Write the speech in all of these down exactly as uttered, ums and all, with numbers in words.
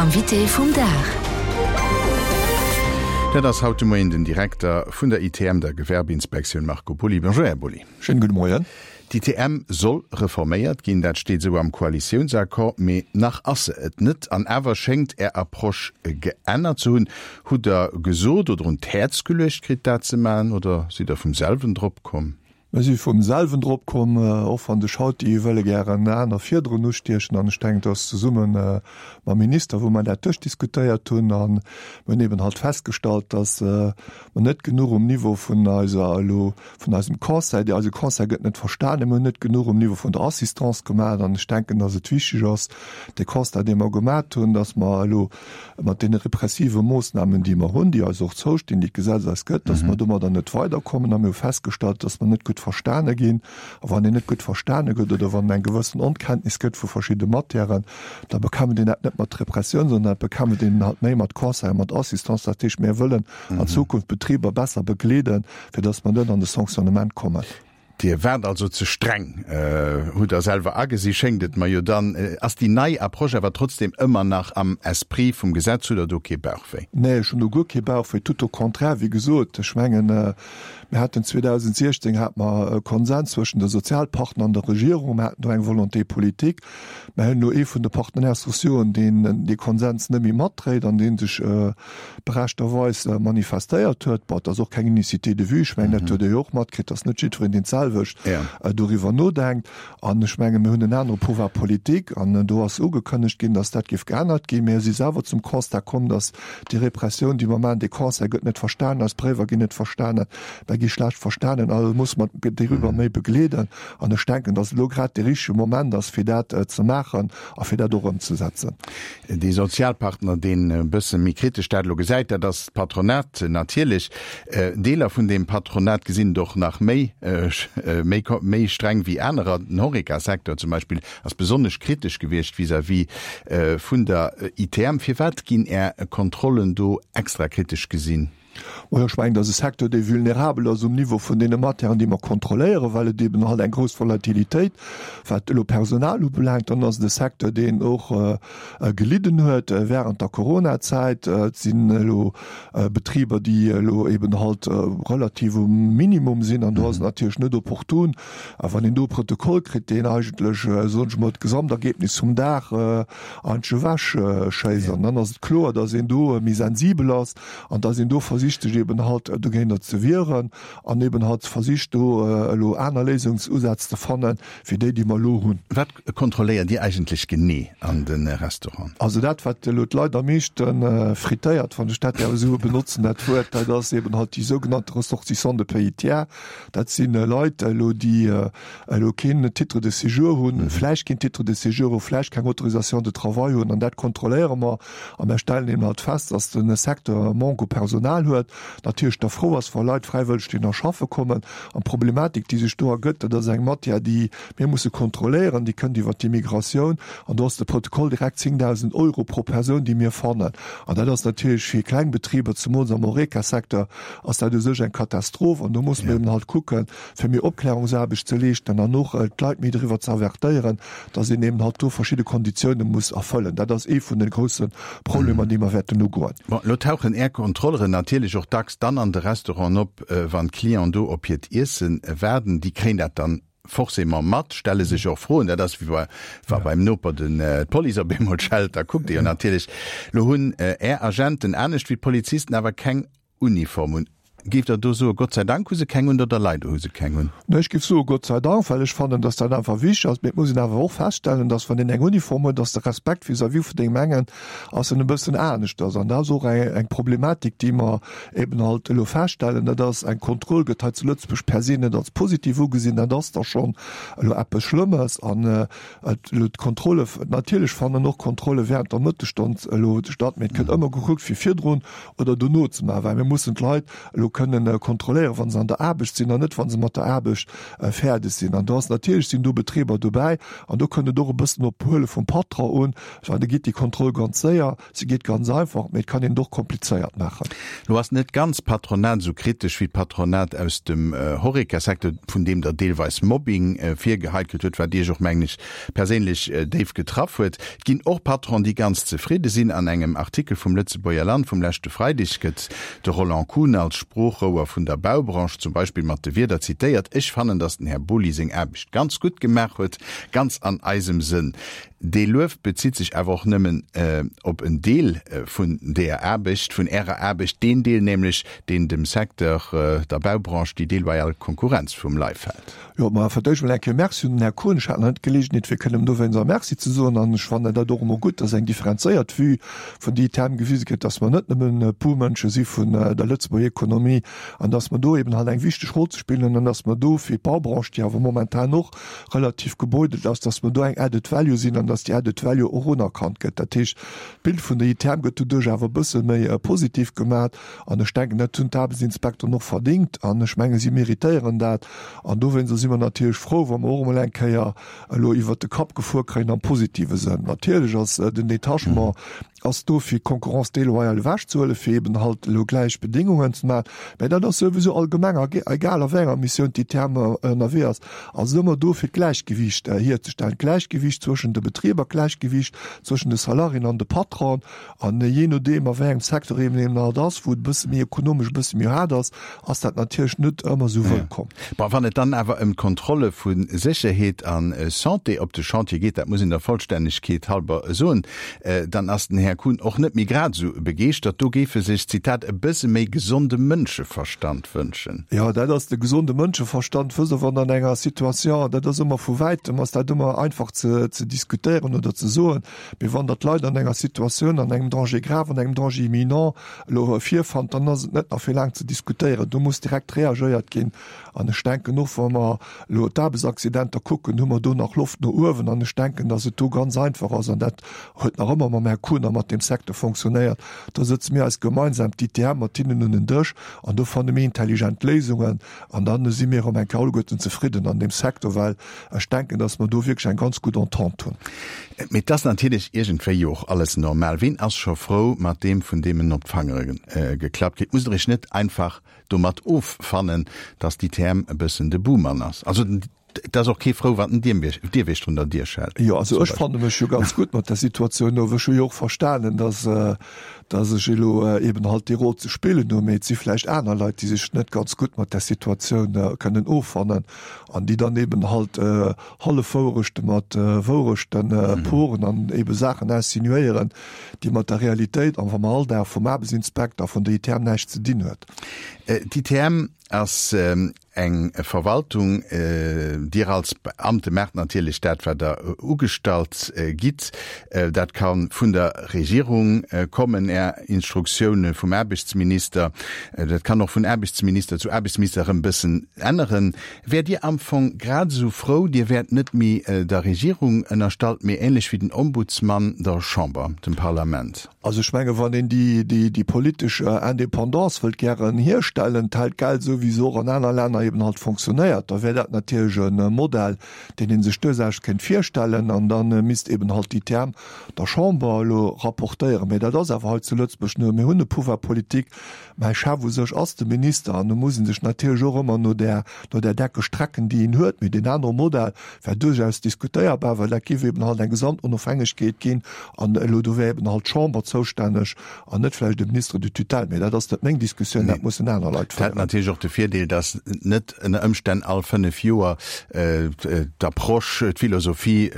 Invité vum Dag. Dat ass haut de Moien den Direkter vun der I T M, der Gewerbeinspektioun, Marco Pulli. Bonjour, Här Pulli. Schéine gudde Moien. D'I T M soll reforméiert ginn, dat steet esou am Koalitiounsaccord, mee nach ass se et net. An awer schéngt Är Approche geännert ze hunn. Hutt Der gesot oder un d'Häerz geluecht kritt, dat ze maachen, oder sidd Der vum selwen drop komm? Mir si vum selwen drop komm, och wann de Schauti wëlle gären aner virdrun ustiechen. An ech denken, dass zesumme mam Minister, wou mer dat duerchdiskutéiert hunn, a mir hunn eben halt festgestallt, dass mer net genuch um Niveau vun eiser elo vun eisem Conseil, déi eise Conseil gëtt net verstanen, mir hunn net genuch um Niveau vun der Assistance gemaach. An ech denken, dass et wichteg ass, de Constat, dee mer gemat hunn, dass mer elo mat deene repressive Moossnamen, déi mer hunn, déi eis och zoustinn, déi d'Gesetz eis gëtt, dass mer domadder net weiderkommen. A mir hu festgestallt, dass mer net gutt verstane ginn. A wann een net gutt verstane gëtt oder wann eng gewëssen Onkenntnis gëtt vu verschidde Matièren, da bekämpft een dat net mat Repressioun, sondern dat bekämpft een halt méi mat Conseil, mat Assistance. Dat heescht, mir wëllen an Zukunft d'Betriber besser begleeden, fir dass mer net an de Sanctionnement kommen. Dir waart also ze streng, hutt Der selwer agesi, schéngt et mer jo. Dann ass déi nei Approche awer trotzdem ëmmer nach am Esprit vum Gesetz. Hutt Der do kee Bauchwéi? Nee, ech hunn do guer kee Bauchwéi, tout au contraire. Wéi gesot, ech mengen, mir haten zweedausendsiechzéng hate mer e Konsens zwëschen de Sozialpartner an der Regierung, mir haten do eng Volonté politique. Mir hunn elo ee vun de Partenaires sociaux, deen dee Konsens net méi matdréit an dee sech berechterweis manifestéiert huet. Bon, et ass och keng Unicité de vue, ech mengen, dat hutt Der jo och matkritt, dass net jiddwereen deen d'selwecht doriwwer nodenkt. An ech mengen, mir hunn en anere Pouvoir politique an do ass ugekënnegt ginn, dass dat géif geännert ginn. Mir si selwer zum Constat komm, dass déi Repressioun, déi mer maachen, dee Conseil gëtt net verstanen, eis Bréiwer ginn net verstanen, mer gi schlecht verstanen, also muss mer doriwwer méi begleeden. An ech denken, dass elo grad dee richtege Moment ass, fir dat ze maachen a fir dat och ëmzesetzen. Dee Sozialpartner, deen e bësse méi kritesch dat elo gesäit, dat ass d'Patronat natierlech. Deeler vun deem Patronat gesinn et och nach méi, méi, méi streng wéi anerer. Den Horeca-Secteur zum Beispill ass besonnesch kritesch gewiescht vis-à-vis vun der I T M. Firwat ginn Är Kontrollen do extra kritesch gesinn? Majo, ech mengen, dat ass e Secteur, dee vulnerabel ass um Niveau vun deene Matièren, déi mer kontrolléieren, well et eben halt eng grouss Volatilitéit, wat elo Personal ubelaangt. Dann ass et e Secteur, deen och gelidden huet während der Coronazäit. Et sinn elo Betriber, déi elo eben halt relativ um Minimum sinn, an do ass et natierlech net opportun, wann een do e Protokoll kritt, deen eigentlech, soen ech emol, d'Gesamtergebnis vum Dag eigentlech ewechschéisst. An dann ass et kloer, dass een do méi sensibel ass an dass een do versicht, sech eben halt dogéinter ze wieren an eben halt versicht, do elo aner Léisungsusätz ze fannen, wéi déi, déi mer elo hunn. Wat kontrolléiert Dir eigentlech genee an de Restauranten? Also dat, wat elo d'Leit am meeschte frittéiert, wann ech dat däerf esou benotzen, dat Wuert, dat ass eben halt déi sougenannte Ressortissants de pays tiers. Dat si Leit elo, déi elo keen Titre de séjour hunn, vläicht keen Titre de séjour hunn, vläicht keng Autorisation de travail hunn, an dat kontrolléiere mer. A mer stellen eben halt fest, dass de Secteur e Manque u Personal huet, natierlech da frou ass, wa Leit fräiwëlleg déi nach schaffe kommen. An d'Problematik, déi sech do ergëtt, dat ass eng Matière, déi mir musse kontrolléieren, déi kënnt iwwer d'Immigratioun, an do ass de Protokoll direkt zéngdausend Euro pro Persoun, déi mir fannen. An dat ass natierlech fir kleng Betriber, zemools am Horeca-Secteur, ass dat u sech eng Katastroph. An do musse mir eben halt kucken, fir méi Opklärungsaarbecht ze leeschten an och d'Leit méi driwwer ze avertéieren, dass een eben halt do verschidde Konditiounen muss erfëllen. Dat ass ee vun de grousse Problemer, déi mer wäerten ugoen. Bon, elo tauchen Är Kontrolleren natierlech och dacks dann an de Restauranten op, wann d'Clienten do op hiert Iessen waarden. Déi kréien dat dann forcément mat, stelle sech och Froen. Dat ass wéi wa beim Noper den d'Police op eemol schellt, da kuckt ee jo natierlech. Lo hunn Är Agenten, anescht wéi d'Polizisten, awer keng Uniform un. Géift Der do soe Gott sei Dank hu se keng un oder leider hu se keng un? Nee, ech géif soe Gott sei Dank, well ech fannen, datt dat einfach wichteg ass. Mee et muss een awer och feststellen, datt wann een eng Uniform huet, datt de Respekt vis-à-vis vun deem engen ass en e bëssen aneschters. An dat ass och eng, eng Problematik, déi mer eben halt elo feststellen. Dat ass, eng Kontroll gëtt hei zu Lëtzebuerg per se net als positiv ugesinn. Dat ass da schonn elo eppes Schlëmmes. An elo d'Kontrolle, natierlech fannen och Kontrolle während der Mëttesstonn elo statt, mee et gëtt ëmmer gekuckt, fir virdrun oder dono ze maachen, well mir mussen d'Leit elo kënnen kontrolléieren, wa se an der Aarbecht sinn an net wa se mat der Aarbecht fäerdeg sinn. An do ass natierlech, sinn do Betriber dobäi an do kënnt et och e bëssen op d'Behuele vum Patron un, well da geet déi Kontroll ganz séier, se geet ganz einfach, mee et kann een et och komplizéiert maachen. Lo ass net d'ganz Patronat esou kritesch wéi d'Patronat aus dem Horeca-Secteur, vun deem Der deelweis Mobbing virgeheit kritt hutt, wat Iech och, mengen ech, perséinlech déif getraff huet. Et ginn och Patronen, déi ganz zefridde sinn. An engem Artikel vum Lëtzebuerger Land vum leschte Freideg gëtt de Roland Kuhn als Sproochrouer vun der Baubranche zum Beispill mat de Wierder zitéiert, Ech fannen, datt den Här Boly seng Aarbecht ganz gutt gemaach huet, ganz an eisem Sënn. Dee Luef bezitt sech awer och nëmmen op en Deel vun deeër Aarbecht, vun Ärer Aarbecht, deen Deel nämlech, deen dem Secteur, der Baubranche, déi deloyal Konkurrenz vum Leif hält. Jo, ma fir d'éischt mol eng Kéier Merci un den Här Kuhn. Ech hat nach net d'Geleegenheet, fir kënnen em dowéinst Merci ze soen. An ech fannen dat och emol gutt, dass eng differenzéiert Vue vun déi Thème gewise gëtt, dass mer net nëmmen e puer Mënsche si vun der Lëtzebuerger Ekonomie an dass mer do eben halt eng wichteg Roll ze spillen hunn an dass mer do fir d'Baubranche, déi awer momentan och relativ gebeutelt ass, dass mer do eng Added Value sinn an dass déi Added Value och unerkannt gëtt. Dat heescht, d'Bild vun der I T M gëtt doduerch awer e bësse méi positiv gemat an ech denken, dat hunn d'Aarbechtsinspekteren och verdingt an ech menge si méritéieren dat an dowéinster si mer natierlech frou, wa mer och emol eng Kéier elo iwwert de Kapp gefuer kréien am positive Sënn. Natierlech ass den Détachement ass do fir d'Concurrence déloyale ewechzehuelen, fir eben halt elo gläich Bedingungen ze maachen, mä dat ass souwisou allgemeng, egal a wéi enger Missioun d'I T M ënnerwee ass, ass et ëmmer do fir d'Gläichgewiicht hierzestellen, d'Gläichgewiicht zwëschen de Betriber, d'Gläichgewiicht zwëschen de Salariéen an de Patronen. An jee nodeem a wéi engem Secteur eben eben halt ass, wou et e bësse méi ekonomesch e bësse méi haart ass, ass dat natierlech net ëmmer esou wëllkomm. Bon, wann et dann awer ëm d'Kontrolle vu Sécherheet a Santé op de Chantier geet, dat muss een der Vollstännegkeet halber soen, dann ass den Här Kuhn och net méi grad esou begeeschtert. Do géif e sech, Zitat, e bësse méi gesonde Mënscheverstand wënschen. Jo, dat ass de gesonde Mënscheverstand. Wësst Der, wann an enger Situation, dat ass ëmmer vu wäitem ass dat ëmmer einfach ze ze diskutéieren oder ze soen, mee wann Der d'Leit an enger Situatioun, an engem Danger grave, an engem Danger imminent elo virfannt, dann ass et net nach fir laang ze diskutéieren. Do muss direkt reagéiert ginn. An ech denken och, wa mer elo d'Aarbechtsaccidenter kucken, hu mer do nach Loft no uewen. An ech denken, datt et do ganz einfach ass, an dat huet nach ëmmer mam Här Kuhn a mat deem Secteur fonctionnéiert, do sëtze mir eis gemeinsam, d'I T M, mat hinnen un en Dësch an do fanne mir intelligent Léisungen. An da si mir erëm eng Kéier alleguerten zefridden an deem Secteur, well ech denken, datt mer do wierklech eng ganz gutt Entente hunn. Mee et ass natierlech iergendwéi jo och alles normal. Ween ass scho frou mat deem, vun deem en op d'Fangere geklappt kritt? Musst Der Iech net einfach domat offannen, dass d'I T M e bëssen de Buhmann ass? Also et ass och kee frou, wann den Dierwiechter un der Dier schellt. Jo, also ech fanne mech jo ganz gutt mat der Situatioun of. Ech hu jo och verstanen, dass, dass ech elo eben halt déi Roll ze spillen hu, mee et si vläicht aner Leit, déi sech net ganz gutt mat där Situatioun kënnen offannen an déi dann eben halt Hallefwouerechte mat Wouerechte poren an ebe Saachen insinuéieren, déi mat der Realitéit an vam Alldag vum Aarbechtsinspekter vun der I T M näischt ze dinn huet. D'I T M ass eng Verwaltung. Dir als Beamte maacht natierlech dat, wat Der ugestallt gitt. Dat ka vun der Regierung kommen, Är Instruktioune vum Aarbechtsminister. Dat kann och vun Aarbechtsminister zu Aarbechtsminister erëm bëssen änneren. Wäert Dir am Fong grad esou frou, Dir wäert net méi der Regierung ënnerstallt, mee ähnlech wéi den Ombudsmann der Chamber, dem Parlament? Also ech menge wann een déi, déi, déi politesch Indépendance wëllt gären hierstellen, tel quel, esou wéi se och an aner Länner eben halt fonctionnéiert, da wär dat natierlech e Modell, deen ee sech duerchaus kéint virstellen. An da misst eben halt d'I T M der Chamber elo rapportéieren. Mä dat ass awer hei zu Lëtzebuerg net. Mir hunn e Pouvoir politique. Mäi Chef u sech ass de Minister an do muss ee sech natierlech och ëmmer no där, no där Decke strecken, déi een huet. Mee deen anere Modell wär duerchaus diskutéierbar, well dat géif eben halt eng Gesamtonofhängegkeet ginn an elo do wär eben halt d'Chamber zoustänneg an net vläicht de Ministre de tutelle. Mee dat ass net meng Diskussioun, dat mussen aner Leit féieren. Dat hätt natierlech och de Virdeel, datt net ënner Ëmstänn all fënnef Joer d'Approche, d'Philosophie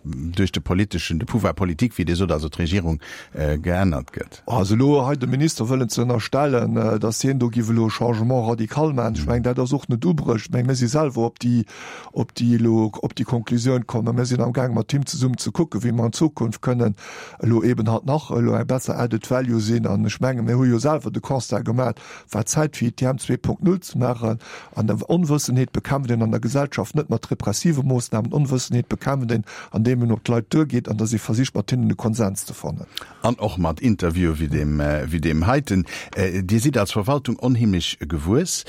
duerch de politeschen, de Pouvoir politique, wéi Dir sot, also d'Regierung, geännert gëtt. Also elo hei dem Minister wëllen ze ënnerstellen, datt hien do giff elo e Changement radical maachen, ech mengen, dat ass och net ubruecht. Ech mengen, mir si selwer op déi, op déi elo, op déi Konklusioun komm a mir sinn amgaangen, mat him zesummen ze kucken, wéi mer an Zukunft kënnen elo eben halt nach elo eng besser Added Value sinn. An ech mengen, mir hu jo selwer de Constat gemaach, wat d'Zäit Zäit fir I T M zwee Punkt null ze maachen. An der Onwëssenheet bekämpft een an der Gesellschaft net mat repressive Moossnamen. Onwëssenheet bekämpft een, andeem een op d'Leit duergeet an datt ee versicht, mat hinnen e Konsens ze fannen. An och mat Interviewe wéi deem, wéi deem heiten. Dir sidd als Verwaltung onheemlech gewuess.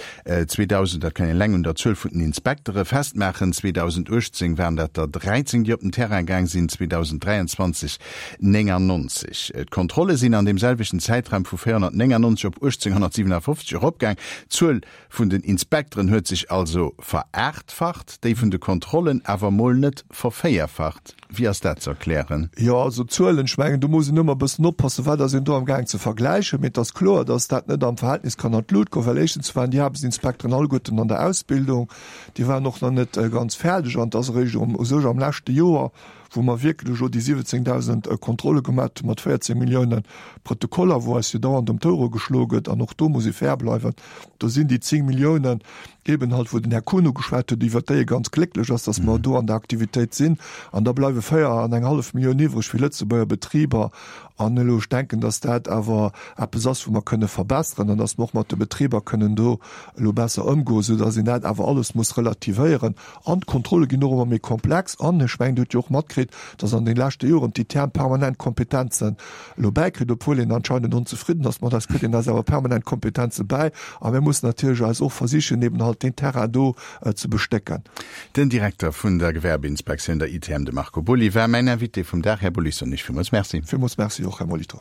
zweedausend, dat kann een eleng un der Zuel vun den Inspektere festmaachen, zweedausenduechtzéng waren dat der dräizéng, déi op den Terrain gaang sinn, zweedausenddräianzwanzeg néngannonzeg. D'Kontrolle sinn an deem selwechten Zäitraum vu véierhonnertnéngannonzeg op uechtzénghonnertsiwwenafofzeg eropgaang. D'Zuel vun den Inspekteren huet sech also veraachtfacht, déi vun de Kontrollen awer mol net vervéierfacht. Wéi ass dat ze erklären? Jo, also d'Zuelen, ech mengen, do muss een ëmmer e bëssen oppassen, wat ass een do amgaang ze vergläichen. Mee et ass kloer, datt dat net am Verhältnis kann an d'Lut goen, well éischtens waren déi Aarbechtsinspekteren alleguerten an der Ausbildung, déi waren och nach net ganz fäerdeg an et ass eréischt u sech am leschte Joer, wou mer wierklech elo déi siwwenzéngdausend Kontrolle gemaat hu mat véierzéng Milliounen Protokoller, wou eis jo dauernd ëm d'Ouere geschloe gëtt, an och do muss ee fair bleiwen, do sinn déi zéng Milliounen eben halt, wou den Här Kuhn ugeschwat huet, iwwert déi e ganz glécklech ass, datt mer do an der Aktivitéit sinn, an da bleiwe véier an eng hallef Millioun iwwreg fir Lëtzebuerger Betriber. An elo, ech denken, datt dat awer eppes ass, wou mer kënne verbessern an datt mer och mat de Betriber kënnen do elo besser ëmgoen, soudatt een dat awer alles muss relativéieren. An d'Kontrolle ginn och ëmmer méi komplex. An ech mengen, Dir hutt jo och matkritt, datt an de leschte Joren d'I T M permanent Kompetenzen elo bäikritt, obwuel een anscheinend onzefridden ass mat eis, kritt een eis awer permanent Kompetenze bäi. A mir mussen natierlech eis och versichen, eben halt deen Terrain do ze bestécken. Den Direkter vun der Gewerbeinspektioun, der I T M, de Marco Boly, war mäin Invité vum Dag. Här Boly, soen ech villmools Merci. Villmools Merci och, Här Molitor.